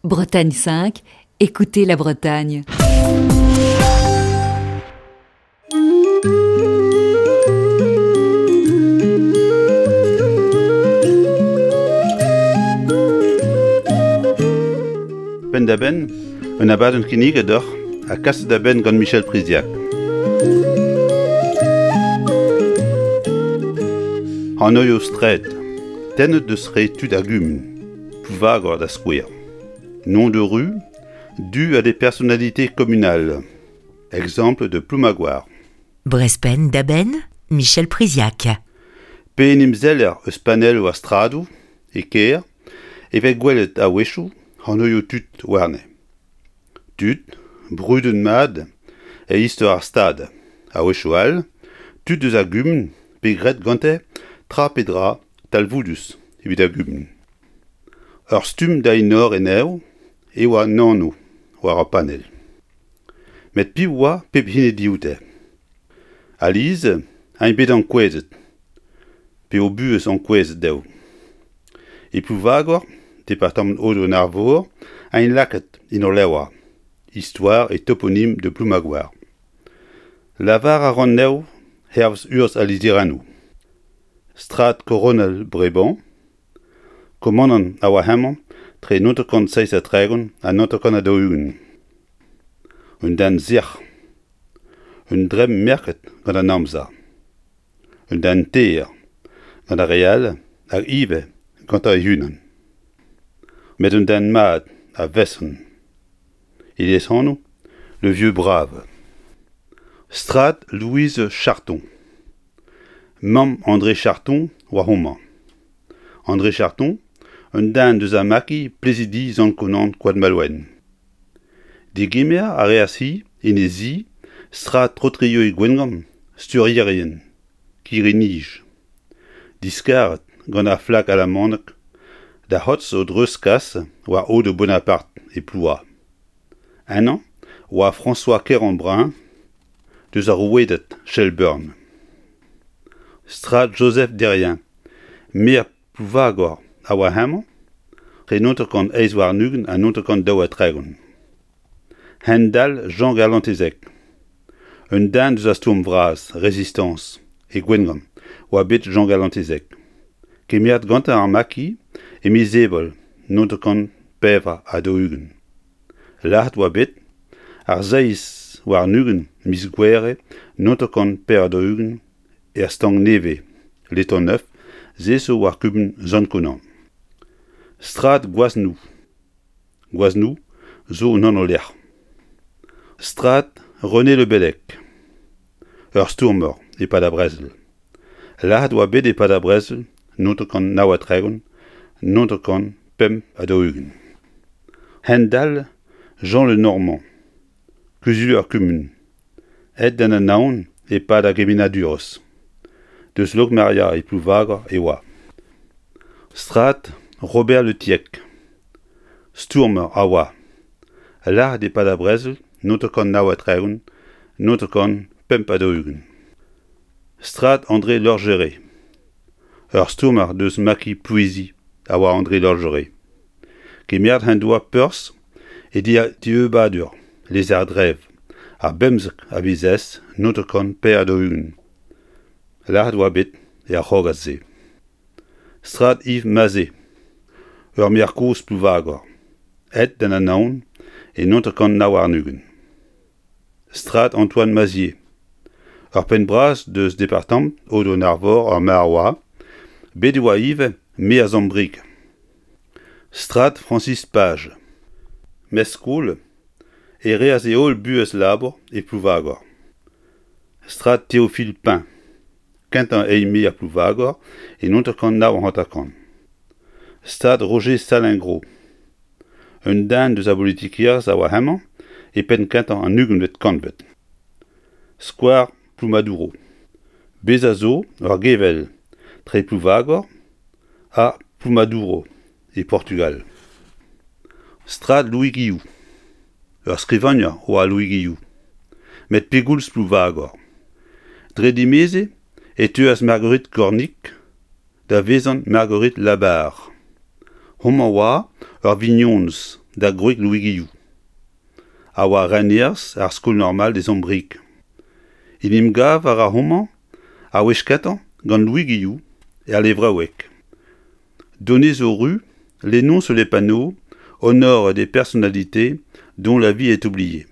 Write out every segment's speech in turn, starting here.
Bretagne 5, écoutez la Bretagne. Penn-da-benn, un abadenn kinniget deoc'h ha kaset da benn gant Michel Priziac. Anv straed, tennet deus re tud ar gumun, Plouvagor da skouer. Nom de rue, dû à des personnalités communales. Exemple de Ploumagoar. Brespenn da benn, Michel Priziac. Pe en em seller eus panelloù ar stradoù e kêr e vez gwelet a-wechoù anvioù tud warne. Tud brudet mat e istor ar Stad, a-wechoù all tud eus ar gumun pe graet gante tra pe dra talvoudus evit ar gumun. Ur stumm da enor anezho eo an anv war ar panell. Met piv oa pep hini dioute? Alies int bet ankouezet, pe o buhez ankouezet dezho. E Plouvagor, departamant Aodoù-an-Arvor, int lakaet en ul levr, Histoire et toponyme de Ploumagoar. Lavar a ran anezho hervez urzh al lizherennoù. Strad Koronel Breban, Komanant a oa hemañ tre 1937 ha 1940. Un den sec'h, un dremm merket gant an amzer, un den taer gant ar re all hag ivez gantañ e-unan. Met un den mat a-feson. E lesanv Le Vieux Brave. Strad Louise Charton. Mamm André Charton oa homañ. André Charton, un den deus ar maquis Plezidi Sant-Konan Koad-Malouen. Degemer a reas-hi en he zi strad Trotrioù e Gwengamp sturierien kirri-nij. Diskaret gant ar flak alamanek da c'hortoz o dreuzkas war aodoù Bonaparte e Plouha. Ennañ oa François Kerambrun deus ar rouedad Shelburne. Strad Joseph Derrien, maer Plouvagor a oa hemañ tre 1928 ha 1932. Hent-dall Jean Garlantezec, un den deus ar stourm vras, Resistañs, e Gwengamp, oa bet Jean Garlantezec. Kemeret gantañ ar maquis e miz Ebrel 1944. Lazhet oa bet ar 27 miz Gouere 1944 er Stank-Nevez, Letang-Neuf, se zo war kumun Sant-Konan. Strad Gwaznou Gwaznou zo un anv-lec'h. Strad René Le Bellec, ur stourmer e-pad ar brezel. Lazhet oa bet e-pad ar brezel 1939 1945. Hent-dall Jean Le Normand, kuzulier kumun, aet d'an Anaon e-pad ar gemennadurezh. Deus Lokmaria e Plouvagor e oa. Strad Robert Le Tiec, stourmer a oa. Lazhet e-pad ar brezel 1939 1945. Strad André Lorgéré, ur stourmer deus maquis Plouizi a oa André Lorgéré. Kemeret en doa perzh e dieubadur Lezardrev ar bemzek a viz Ez 1944. Lazhet oa bet er c'hrogad-se. Strad Yves Mazé, ur maer kozh Plouvagor, aet d'an Anaon e 1929. Strad Antoine Mazier, ur penn-bras deus departamant Aodoù-an-Arvor ar Marwa, bet e oa ivez maer Zambrieg. Strad Francis Page, mestr-skol, e reas e holl buhez labour e Plouvagor. Strad Théophile Pain, kentañ eil-maer Plouvagor e 1959. Stad Roger Salengro, un den deus ar bolitikerezh a oa hemañ e penn-kentañ an ugentvet kantved. Skwar Ploumadouro. Bezañ zo ur gevell tre Plouvagor ha Ploumadouro e Portugal. Strad Louis Guilloux. Ur skrivagner oa Louis Guilloux. Met pegoulz Plouvagor? Dre dimezi e teuas Marguerite Cornic da vezañ Marguerite Labarre. Homañ oa ur vignonez. da gwreg Louis Guilloux, a oa renerz ar Skol Normal des Ombriques. En em gav a ra homañ ar wech kentañ gant Louis Guilloux er levraoueg. Donné zo ru, les noms sur les panneaux honorent des personnalités dont la vie est oubliée.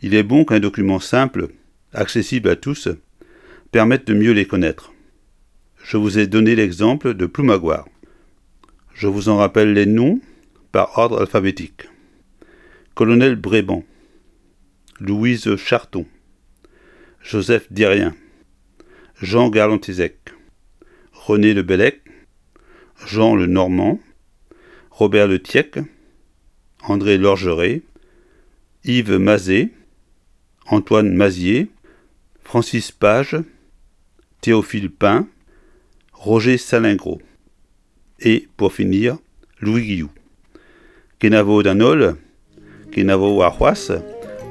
Il est bon qu'un document simple, accessible à tous, permette de mieux les connaître. Je vous ai donné l'exemple de Ploumagoar. Je vous en rappelle les noms par ordre alphabétique. Colonel Bréban, Louise Charton, Joseph Dirien, Jean Garlantizec, René Le Bellec, Jean Le Normand, Robert Le Tiec, André Lorgeret, Yves Mazet, Antoine Mazier, Francis Page, Théophile Pain, Roger Salingro et, pour finir, Louis Guilloux. Kenavo d'an holl, kenavo warc'hoazh,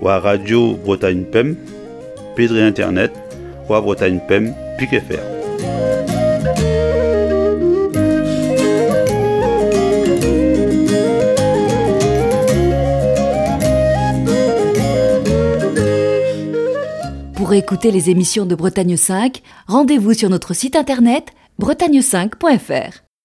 war Radio Bretagne Pemp, pe dre internet, war Bretagne Pemp pik fr. Pour écouter les émissions de Bretagne 5, rendez-vous sur notre site internet bretagne5.fr.